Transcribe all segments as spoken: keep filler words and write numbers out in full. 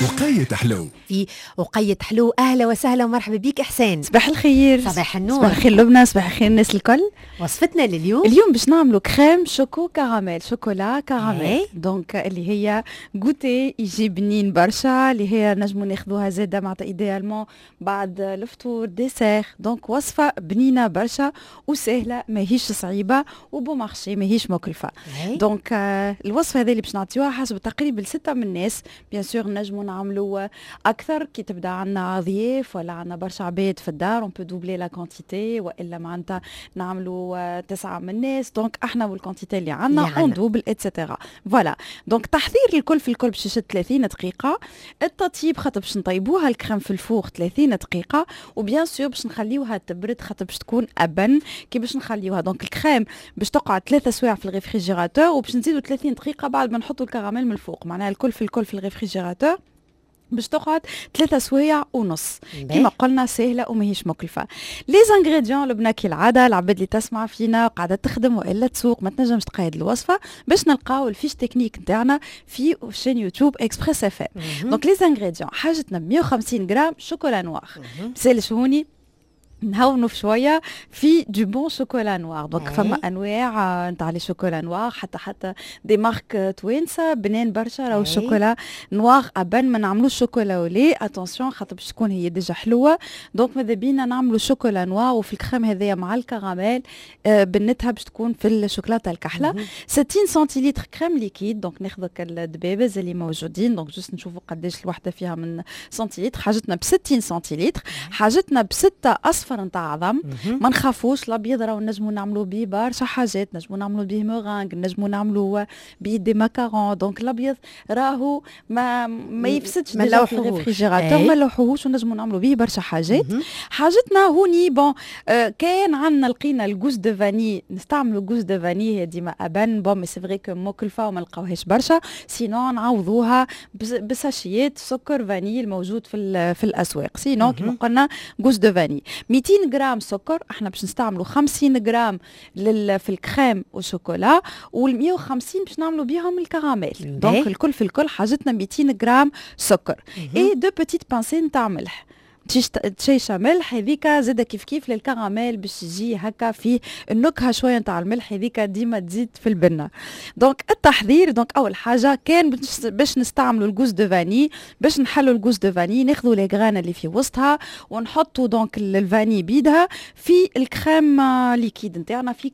وقيت حلو. في وقيت حلو. اهلا وسهلا ومرحبا بك احسان. صباح الخير. صباح النور. صباح الخير لبنى، صباح الخير الناس الكل. وصفتنا لليوم؟ اليوم باش نعملوا crème choco caramel، chocolat caramel، donc اللي هي goûter يجي بنين برشا، اللي هي نجموا ناخذوها زاده معناتها idéalement بعد الفطور dessert. donc وصفه بنينه برشا وسهله، ماهيش صعيبة و bon marché، ماهيش مكلفه. donc آه، الوصفة هذه اللي باش نعطيوها حسب تقريبا لستة من الناس. bien sûr نجموا نعملوا اكثر كي تبدا عندنا ضياف ولا عندنا برشا عباد في الدار، on peut doubler la quantité، والا معناتها نعملوا تسعة من الناس. donc احنا وال quantité اللي عندنا on double et cetera. voilà، donc تحضير الكل في الكل باش يشد ثلاثين دقيقه. التطيب خاطر باش نطيبوها الكريم في ال four ثلاثين دقيقه، و bien sûr باش نخليوها تبرد خاطر باش تكون ابن كي باش نخليوها. donc ال crème باش تقعد ثلاثة سوايع في ال réfrigérateur، وباش نزيدوا ثلاثين دقيقة بعد ما نحطوا الكراميل من الفوق. معناها الكل في الكل في ال réfrigérateur باش تقعد ثلاثة سوايع ونص. كما قلنا سهلة وماهيش مكلفة. les ingrédients لبنى، كالعادة العباد اللي تسمع فينا قاعدة تخدم والا تسوق ما تنجمش تقيد الوصفة، باش نلقاو ال fiche technique نتاعنا في chaîne YouTube Express FM. donc les ingrédients، حاجتنا مية وخمسين غرام chocolat noir. مسالش هوني نهونوا شوية في du bon chocolat noir. donc فما انواع نتاع les chocolats noirs، حتى حتى des marques توانسة بنان برشا. راهو ال chocolat noir ابن، ما نعملوش chocolat au lait، attention، خاطر باش تكون هي déjà حلوه. donc ماذا بينا نعملوا chocolat noir، وفي الكريم هذايا مع الكراميل آه، بنتها باش تكون في الشوكولاتة الكحله. ستين centilitres crème liquide، donc ناخذ الدبابز اللي موجودين، donc juste نشوفوا قداش الوحدة فيها من سنتيلتر. حاجتنا ب ستين سنتيلتر. حاجتنا بستة اصفر نتاع عظم. ما نخافوش، الابيض راهو نجمو نعملوا بيه برشا حاجات، نجمو نعملوا بيه موغانغ، نجمو نعملوا بيه des macarons. donc الابيض راهو ما ما يفسدش ما déjà في ال réfrigérateur، ما نلوحوهوش ونجمو نعملوا بيه برشا حاجات. حاجتنا هوني bon آه كان عندنا لقينا ال gousse de vanille، نستعملوا gousse de vanille، هي ديما ابن. bon mais c'est vrai que مكلفة وما نلقاوهاش برشا، sinon نعوضوها بساشيات سكر vanille الموجود في في الاسواق. sinon كيما قلنا gousse de vanille. ميتين غرام سكر، احنا باش نستعملوا خمسين غرام لل في ال crème au chocolat، وال مية وخمسين باش نعملوا بيهم ال caramel. donc الكل في الكل حاجتنا ميتين غرام سكر et deux petites pincées نتاع ملح، تشيشه ملح هذيك زاده كيف كيف للكراميل باش يجي هكا فيه النكهة شوية نتاع الملح، هذيك ديما تزيد في البنه. donc التحضير، donc اول حاجة كان باش نستعملوا ال gousse de vanille، باش نحلوا ال gousse de vanille، ناخذوا les graines اللي في وسطها ونحطوا donc ال vanille بيدها في ال crème liquide نتاعنا في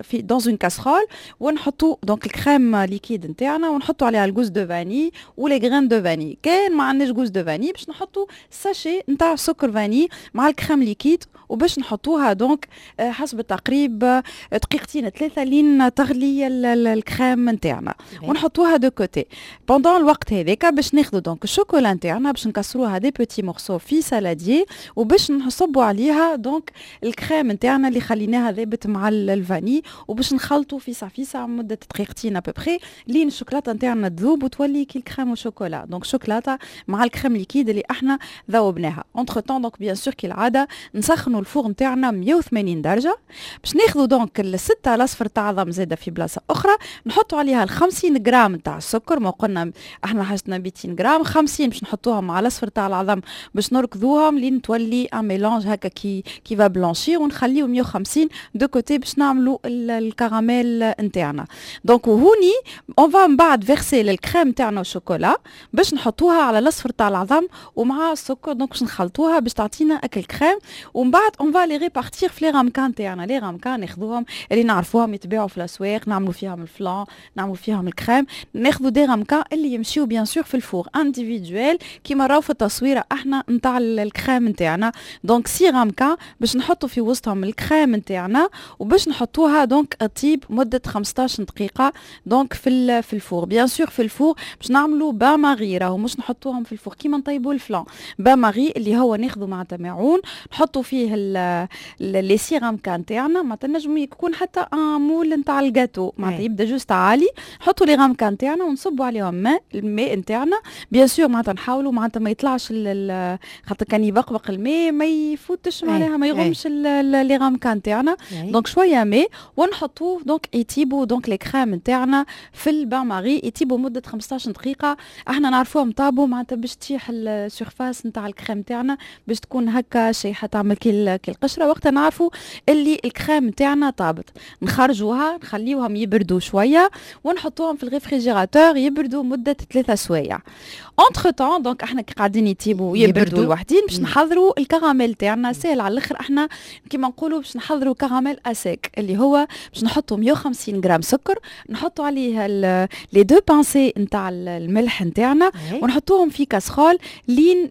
في dans une casserole، ونحطوا donc ال crème liquide نتاعنا ونحطوا عليها ال gousse de vanille و les graines de vanille. كان ما عندناش gousse de vanille، باش نحطوا sachet نتاع سكر vanille مع ال crème liquide، وباش نحطوها donc آه، حسب التقريب آه، دقيقتين ثلاثة لين تغلي الكريم نتاعنا ونحطوها de côté. pendant الوقت هذاك باش ناخذوا donc ال chocolat نتاعنا، باش نكسروها des petits morceaux في saladier، وباش نصبوا عليها donc ال crème نتاعنا اللي خليناها ذابت مع ال vanille، وباش نخلطوا فيسع فيسع مده دقيقتين à peu près لين الشوكولاتة نتاعنا تذوب وتولي كي ال crème au chocolat، donc شوكولاتة مع ال crème liquide اللي احنا ذوبناها. entre-temps donc bien sûr كالعادة نسخنوا ال four نتاعنا مية وثمانين درجه. باش ناخذوا donc الستة الاصفر تاع عظم زاده في بلاصة اخرى، نحطوا عليها ال خمسين غرام نتاع السكر. ما قلنا احنا حاجتنا ميتين غرام، خمسين باش نحطوهم مع الاصفر تاع العظم، باش نركضوهم لين تولي un mélange هكا qui qui va blanchir، ونخليو مية وخمسين de côté باش نعملوا الكراميل نتاعنا. donc وهوني on va من بعد verser ال crème تاعنا والشوكولا، باش نحطوها على الاصفر تاع العظم ومع السكر، donc باش نخلطوها باش تعطينا اك الكريم. ومن بعد on va les répartir في les ramequins تاعنا. les ramequins ناخذوهم اللي نعرفوهم يتباعوا في الاسواق، نعملوا فيهم ال flan، نعملوا فيهم الكريم. ناخذوا des ramequins اللي يمشيو bien sûr في ال four individuel كيما راهو في التصويره احنا نتاع الكريم نتاعنا. donc six ramequins باش نحطوا في وسطهم الكريم نتاعنا، وباش نحطوها donc تطيب مده خمسطاش دقيقة donc في في ال four. bien sûr في ال four باش نعملوا bain-marie، راهو مش نحطوهم في ال four كيما نطيبوا ال flan. bain-marie اللي هو اللي هو ناخذوا معناتها ماعون نحطوا فيه les six ramequins تاعنا، معناتها نجم يكون حتى un moule نتاع الجاتو، معناتها يبدا juste عالي. نحطوا les ramequins تاعنا ونصبوا عليهم ماء، الماء نتاعنا bien sûr معناتها نحاولوا معناتها ما يطلعش، خاطر كان يبقبق الماء ما يفوتش، معناها ما يغمش les ramequins تاعنا. donc شوية ماء ونحطوه، donc يطيبوا donc les crèmes نتاعنا في ال bain-marie، يطيبوا مده خمسطاش دقيقه. احنا نعرفوهم طابوا معناتها باش تشيح ال surface نتاع الكريم تاعنا، باش تكون هكا شيحه، تعمل كي القشره. وقتها نعرفوا اللي الكريم تاعنا طابت. نخرجوها، نخليوهم يبردوا شوية ونحطوهم في ال réfrigérateur يبردوا مده ثلاثة سوايع. entre-temps donc احنا كي قاعدين يطيبوا يبردوا لوحدين، باش نحضروا الكراميل تاعنا. سهل على الاخر، احنا كيما نقولوا باش نحضروا caramel à sec، اللي هو باش نحطوا مية وخمسين غرام سكر، نحطوا عليه les deux pincées نتاع الملح نتاعنا، ونحطوهم في كاسرول لين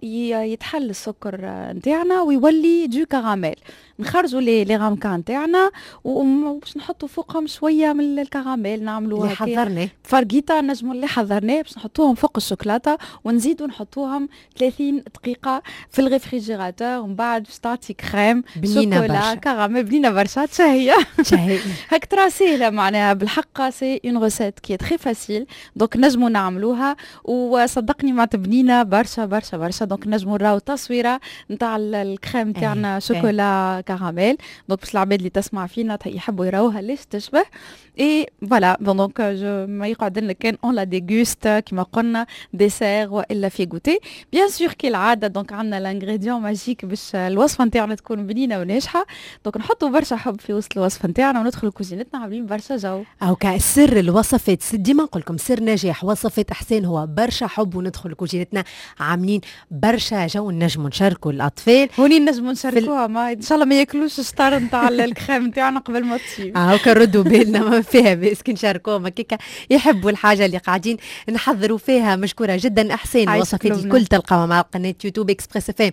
يتحل السكر نتاعنا ويولي du caramel. نخرجوا les les ramequins نتاعنا وباش نحطوا فوقهم شوية من الكراميل، نعملوا اللي حضرناه. فرقيطه نجموا اللي حضرناه، باش نحطوهم فوق الشوكولاتة ونزيدوا نحطوهم ثلاثين دقيقة في ال réfrigérateur، ومن بعد باش تعطي كريم بنينه برشا. كراميل بنينه برشا، تشهي. تشهي. هاك ترى سهله، معناها بالحق c'est une recette qui est très facile، donc نجموا نعملوها وصدقني معناتها بنينه برشا برشا برشا. donc نجموا نراو تصويره نتاع الكريم تاعنا chocolat caramel، donc باش العباد اللي تسمع فينا يحبوا يراوها ليش تشبه. et voilà، bon donc je ما يقعد لنا كان on la déguste، كيما قلنا dessert والا في goûter bien sûr. كالعادة donc عندنا l'ingrédient magique باش الوصفة نتاعنا تكون بنينه وناجحه. donc نحطوا برشا حب في وسط الوصفة نتاعنا وندخلوا كوزينتنا عاملين برشا جو. او سر الوصفات، ديما نقول لكم سر نجاح وصفات احسان هو برشا حب، وندخل كوزينتنا عاملين برشا جو. نجموا نشاركوا الاطفال. هوني نجموا نشاركوها، ما ان شاء الله ما ياكلوش الشطار نتاع الكريم نتاعنا قبل ما تطيب. اه نردوا بالنا، ما فيها باس كي نشاركوهم، هكاك يحبوا الحاجة اللي قاعدين نحضروا فيها. مشكورة جدا احسان. الوصفات الكل تلقاوها مع قناة يوتيوب Express FM.